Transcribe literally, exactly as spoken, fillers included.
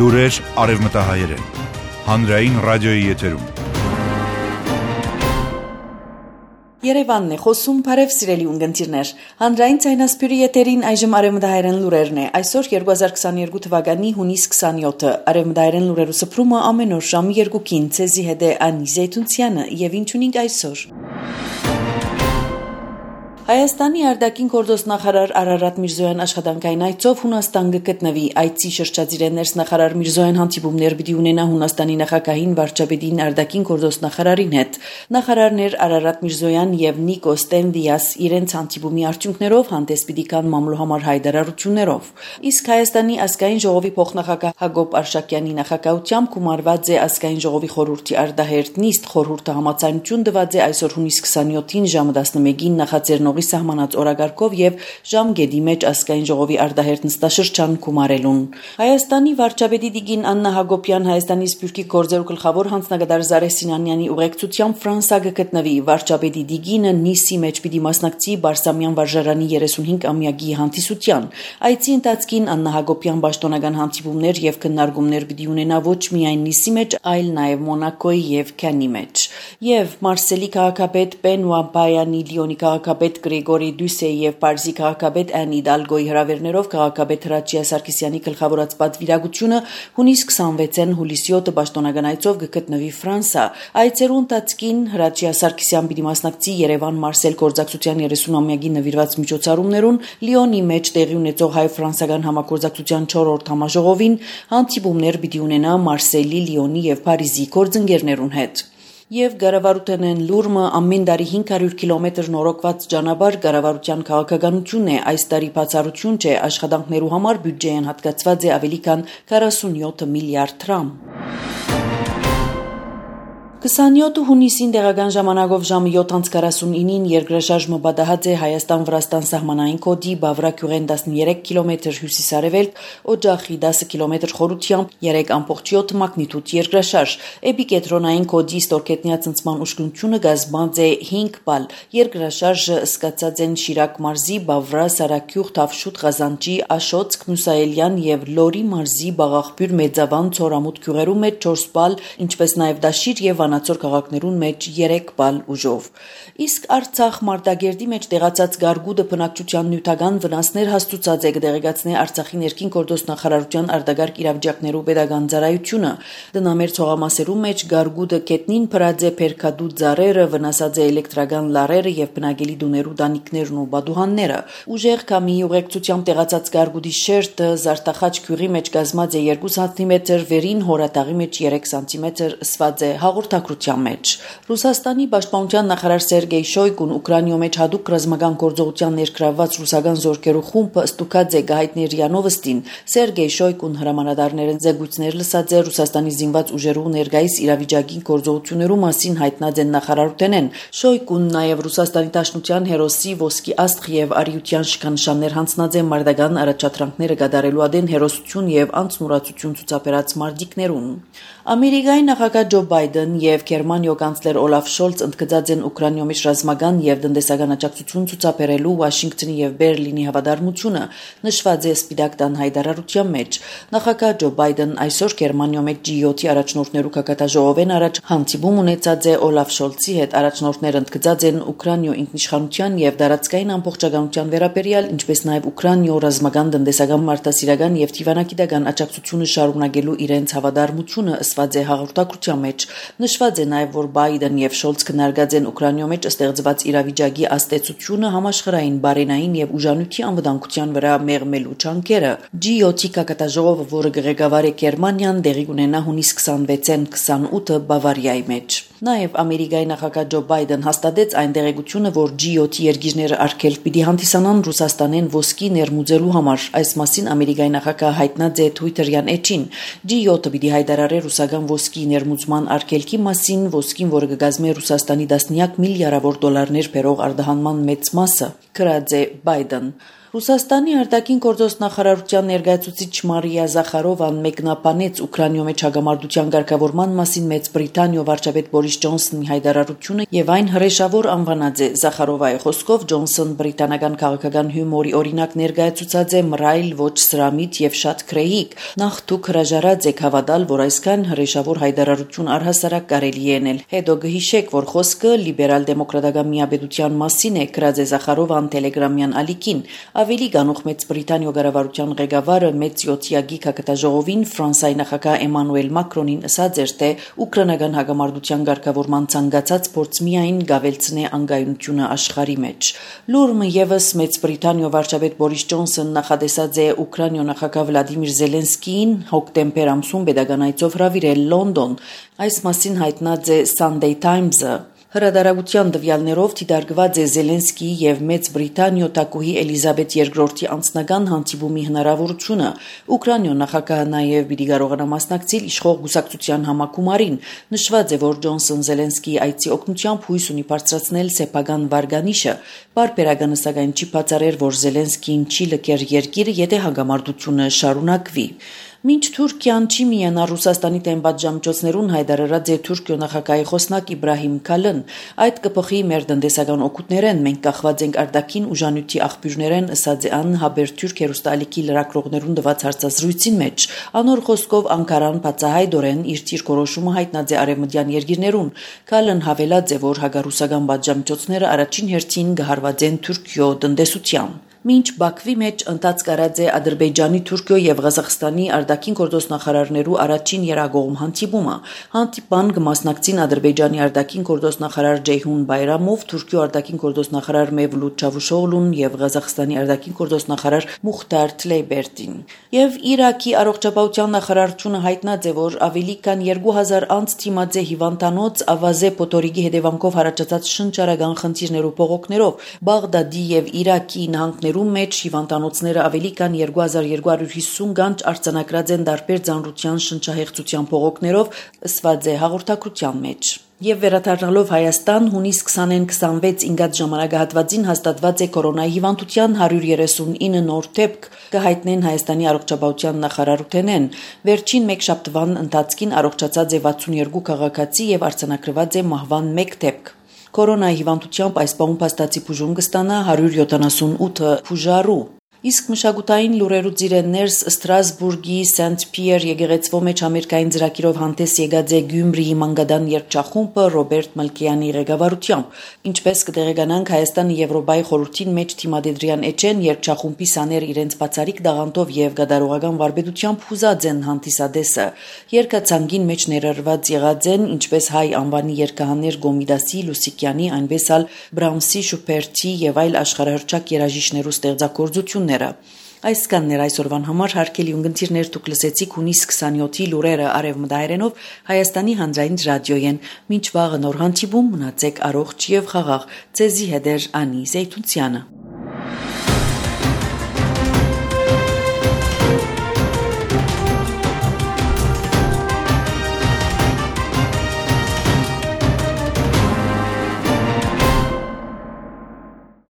Լուրեր արևմտահայերեն, հանրային ռադիոյի եթերում։ Երևանն է խոսում, բարև սիրելի ունգընտիրներ։ Հանրային ցայնասպյուրի եթերին այժմ արևմտահայերեն լուրերն է։ Այսօր երկու հազար քսաներկու թվականի հունիս քսանյոթը։ Արևմտահայերեն լուրերու սփռումը ամեն օր ժամը երկուքին ցեզի հետ է Անի Զեյթունցյանը եւ ինչ ունենք այսօր։ Հայաստանի արտաքին գործոստ նախարար Արարատ Միրզոյան աշխատանքային այցով Հունաստան գտնվի։ Այցի շրջադիր ներսնախարար Միրզոյան հանդիպումներ պիտի ունենա Հունաստանի նախագահին վարչապետին արտաքին գործոստ նախարարին հետ։ Նախարարներ Արարատ Միրզոյան եւ Նիկո Ստենդիաս իրենց հանդիպումի արդյունքներով հանդես պիտի կան մամլոհամար հայտարարություններով։ Իսկ Հայաստանի ազգային ժողովի փոխնախագահ Հակոբ Արշակյանի նախագահությամբ գումարված է ազգային ժողովի խորհրդի արտահերտ նիստ խորհուրդը համաձայնություն տված է այսօր հունիս քսանյոթին ժամը տասնմեկին նախաձեռնող սահմանած օրակարգով եւ ժամկետի մեջ ազգային ժողովի արտահերտ նստաշրջան գումարելուն։ Հայաստանի վարչապետի Տիկին Աննա Հակոբյան Հայաստանի Սփյուռքի գործերու գլխավոր հանձնագետար Զարե Սինանյանի ուղեկցությամբ Ֆրանսա գտնվի։ Վարչապետի Տիկինը Նիսի մեջ պիտի մասնակցի Բարսամյան վարժարանի երեսունհինգ ամյակի հանդիսության։ Այցի ընթացքին Աննա Հակոբյան պաշտոնական հանդիպումներ եւ քննարկումներ պիտի ունենա ոչ միայն Նիսի մեջ, այլ նաեւ Մոնակոյի եւ Քանի մեջ։ Եվ Մարսելի քաղաքապետ Բենուա Բայանի Լիոնի քաղաքապետ Գրեգորի Դյուսեի եւ Պարիզի քաղաքապետ Ան Իդալգոյի հրավերներով քաղաքապետ Հրաչյա Սարգսյանի գլխավորած պատվիրակությունը հունիս քսանվեցին հուլիսի յոթը պաշտոնական այցով գտնվի Ֆրանսա։ Այցերու ընթացքին Հրաչյա Սարգսյան պիտի մասնակցի Երևան-Մարսել գործակցության երեսունամյակի նվիրված միջոցառումներուն, Լիոնի մեջ տեղի ունեցող հայ-ֆրանսական համագործակցության չորրորդ համաժողովին, հանդիպումներ պիտի ունենա Մարսելի, Լիոնի եւ Փարիզի գործընկերներուն հետ։ Եվ Գարավարութենեն լուրմը ամեն տարի հինգ հարյուր կիլոմետր նորոգված ճանապարհ կառավարության քաղաքականությունն է, այս տարի բացառություն չէ, աշխատանքներու համար բյուջեին հատկացված է ավելի քան քառասունյոթ միլիարդ դրամ։ քսանյոթ հունիսին տեղական ժամանակով ժամը յոթ անց քառասունինին երկրաշարժը պատահած է Հայաստան-Վրաստան սահմանային կոդի Բավրա-Գյուղեն տասներեք կիլոմետր հյուսիսարևելք, Օջախի դեսը կիլոմետր խորությամբ երեք ամբողջ յոթ մագնիտուդ երկրաշարժ։ Էպիկենտրոնային կոդի ստորգետնյա ցնցման ուշքնությունը կազմած է հինգ բալ։ Երկրաշարժը սկսած են Շիրակ մարզի Բավրա, Սարակյուղ, Թավշուտ, Ղազանջի, Աշոց, Մուսայելյան եւ Լորի մարզի Բաղաղբյուր, Մեծավան, Ցորամուտ գյուղերու մեջ չորս բալ, ինչպես նաեւ Դաշիր եւ Վանաձոր քաղաքներուն մեջ երեք բալ ուժով։ Իսկ Արցախ Մարտակերտի մեջ տեղացած գարգուդը բնակչության նյութական վնասներ հաստուցած է, կդեղեկացնի Արցախի ներքին գործոստ նախարարության արտագարկ իրավիճակներու pedagogan ծառայությունը։ Դնամեր ցողամասերու մեջ գարգուդը կետնին փրած է փերքադու ծառերը, վնասած է էլեկտրական լարերը եւ բնակելի դուներու դանիքներն ու բադուհանները։ Ուժեղ կամի ուղեկցությամբ տեղացած գարգուդի շերտը Զարտախաչ գյուղի մեջ կազմած է երկու սանտիմետր, վերին հորատաղի մեջ երեք սանտիմետր, սված է հաղորդակցության մեջ։ Ռուսաստանի պաշտպանության նախարար Սերգեյ Շոյգուն Ուկրաինայում մեջ հadoop ռազմական գործողության ներգրավված ռուսական զորքերու խումբը ստուգած է գահիթներ Յանովստին։ Սերգեյ Շոյգուն հրամանատարներն զեկույցներ լսած է Ռուսաստանի զինված ուժերու ներգայիս իրավիճակի գործողություններու մասին հայտնած են նախարարութենեն։ Շոյգուն նաև Ռուսաստանի Դաշնության հերոսի ոսկի աստղ եւ արիության շքանշաններ հանձնած է մարդական առաջադրանքները կատարելու ադեն հերոսություն եւ անցնուրացություն ցուցաբերած մարտիկներուն։ Ամերիկայի նախագահ Ջո Բայդեն եւ Գերմանիո կանցլեր Օլաֆ Շոլց ընդգծած են Ուկրաինայում մեջ ռազմական եւ տնտեսական աջակցություն ցուցաբերելու Վաշինգտոնի եւ Բերլինի հավատարմությունը, նշված է Սպիտակ տան հայտարարության մեջ։ Նախագահ Ջո Բայդեն այսօր Գերմանիայում մեջ ջի յոթի առաջնորդներու կակատաժողովեն առաջ հանդիպում ունեցած է Օլաֆ Շոլցի հետ։ Առաջնորդները ընդգծած են Ուկրաինայո ինքնիշխանության եւ դարածքային ամբողջականության վերաբերյալ, ինչպես նաեւ Ուկրաինայո ռազմական, տնտեսական, մարդասիրական եւ թիվանակիտական աջակցությունը շարունակելու իրենց հավատարմությունը, ըսված է հաղորդակցության մեջ։ Նշված է նաև, որ Բայդեն եւ Շոլց քննարկած են Ուկրաինայում մեջ ստեղծված իրավիճակի աստեցությունը համաշխարհային բարենային եւ ուժանույթի անվտանգության վրա մեղմելու ջանքերը։ ջի յոթի կակատաժողովը, որը ղեկավար է Գերմանիան, տեղի կունենա հունիս քսանվեցին քսանութը Բավարիայի մեջ։ Նաև Ամերիկայի նախագահ Ջո Բայդեն հաստատեց այն տեղեկությունը, որ ջի յոթի երկիրները արգելք պիտի հանդիսանան Ռուսաստանեն ոսկի ներմուծելու համար։ Այս մասին Ամերիկայի նախագահը հայտնած է Twitter-յան էջին։ ջի յոթը պիտի հայտարարի ռուսական ոսկի ներմուծման արգելքի մասին, ոսկին, որը կգազմի Ռուսաստանի տասնյակ միլիարդավոր դոլարներ բերող արտահանման մեծ մասը, գրած է Բայդեն։ Ռուսաստանի արտաքին գործոս նախարարության ներկայացուցիչ Մարիա Զախարովան մեկնաբանեց Ուկրաինայում մեջ հագամարտության ղեկավարման մասին Մեծ Բրիտանիա վարչապետ Բորիս Ջոնսոնի հայտարարությունը եւ այն հրեշավոր անվանած է Զախարովայի խոսքով Ջոնսոն բրիտանական քաղաքական հյումորի օրինակ ներկայացուցած է մռայլ ոչ սրամիտ եւ շատ քրեիկ նախ դուք հրաժարած եք հավատալ որ այսքան հրեշավոր հայտարարություն առհասարակ կարելի է անել հետո գհիշեք որ խոսքը լիբերալ դեմոկրատական միաբեդության մասին է գրած է Զախարովան Տելեգրամյան ալիքին Ավելի գանուխ Մեծ Բրիտանիա գարավարության ղեկավարը մեծ յոթյակի քաղաքաժողովին Ֆրանսիայի նախագահ Էմանուել Մակրոնին ասաց էր թե ուկրաինական հագամարտության ղեկավարման ցանկացած փորձ միայն գավելցնե անգայունությունը աշխարհի մեջ Լուրը եւս Մեծ Բրիտանիա վարչապետ Բորիս Ջոնսոն նախադեсած է Ուկրաինա նախագահ Վլադիմիր Զելենսկիին հոկտեմբեր ամսում pedagogan այցով հրավիրել Լոնդոն այս մասին հայտնած է Sunday Times-ը Հրադարագության դվյալներով դիտարկված է Զելենսկիի եւ Մեծ Բրիտանիա տակուհի Էլիզաբետ երկրորդի անձնական հանդիպումի հնարավորությունը Ուկրաինա նախագահը նաեւ պիտի կարողանա մասնակցել իշխող գուսակցության համակումարին նշված է որ Ջոնսոն Զելենսկիի այցի օգնությամբ հույս ունի բարձրացնել սեփական վարկանիշը Պարբերականը սակայն չի բացառել որ Զելենսկին չի լքեր երկիրը եթե հագամարտությունը շարունակվի Մինչ Թուրքիան չի միանա Ռուսաստանի դեմ պատժամիջոցներուն հայտարարած է Թուրքիո նախագահի խոսնակ Իբրահիմ Քալն այդ կփոխի մեր տնտեսական օգուտներեն մենք կախված ենք արտաքին ուժանյութի աղբյուրներեն ըսած է ան Հաբերթուրք հերոստալիքի լրագրողներուն տված հարցազրույցին մեջ անոր խոսքով Անկարան բացահայտորեն իր ցիրկորոշումը հայտնած է արևմտյան երկիրներուն Քալն հավելած է որ հագարուսական պատժամիջոցները առաջին հերթին կհարվածեն Թուրքիո տնտեսության Մինչ Բաքվի մեջ ընթաց կարած է Ադրբեջանի, Թուրքիո եւ Ղազախստանի արտաքին գործոս նախարարներու առաջին երագողմ հանդիպումը։ Հանդիպան կմասնակցին Ադրբեջանի արտաքին գործոս նախարար Ջեյհուն Բայրամով, Թուրքիո արտաքին գործոս նախարար Մևլութ Չավուշօղլուն եւ Ղազախստանի արտաքին գործոս նախարար Մուխտար Թլեյբերտին։ Եվ Իրաքի առողջապահության նախարարությունը հայտնած է, որ ավելի քան երկու հազար անց թիմած է հիվանդանոց ավազե փոթորիկի հետևանքով հարաճած շնչարական խնդիրներու բողոքներով Բաղդադի եւ Իրաքի նահանգներում մեջ հիվանդանոցները ավելի քան երկու հազար երկու հարյուր հիսուն գանչ արձանագրած են դարբեր ծանրության շնչահեղձության բողոքներով ըսված է հաղորդակցության մեջ Եվ վերադառնալով Հայաստան հունիս քսանին քսանվեց ինգած ժամանակահատվածին հաստատված է կորոնայի հիվանդության հարյուր երեսունինը նոր դեպք կհայտնեն Հայաստանի առողջապահության նախարարութենեն վերջին մեկ շաբթվան ընթացքին առողջացած է վաթսունյոթ քաղաքացի եւ արձանագրված է մահվան մեկ դեպք Կորոնայի հիվանդությամբ այս պահում փաստացի բուժում կստանա հարյուր յոթանասունութ բուժարու Իսկ մշակութային լուրերուց իրեններս Ստրասբուրգի Սենթ Պիեր եկեղեցվո մեջ ամերիկային ծրագիրով հանդես եկած է Գյումրիի մանգադան երգչախումբը Ռոբերտ Մալկեյանի ղեկավարությամբ ինչպես կտեղեկանանք Հայաստանի Եվրոպայի խորհրդին մեջ թիմադեդրյան էջեն երգչախումբի սաներ իրենց բացարիք դաղանտով եւ գդարողական վարպետությամբ հուզած են հանդիսադեսը երկացանգին մեջ ներառված եղած են ինչպես հայ անվանի երգահաներ Գոմիդասի Լուսիկյանի այնպես ալ Բրամսի Շուպերտի եւ այլ աշխարհահռչակ երաժիշտներու ստեղծագործություն Այսքաններ այսօրվան համար հարգելի ունգընտիրներ դուք լսեցիք հունիս քսանյոթի լուրերը արևմտահայերենով Հայաստանի հանրային ռադիոյեն մինչ վաղը նոր հանդիպում մնացեք առողջ եւ խաղաղ ցեզի հետեր Անի Զեյթունցյանը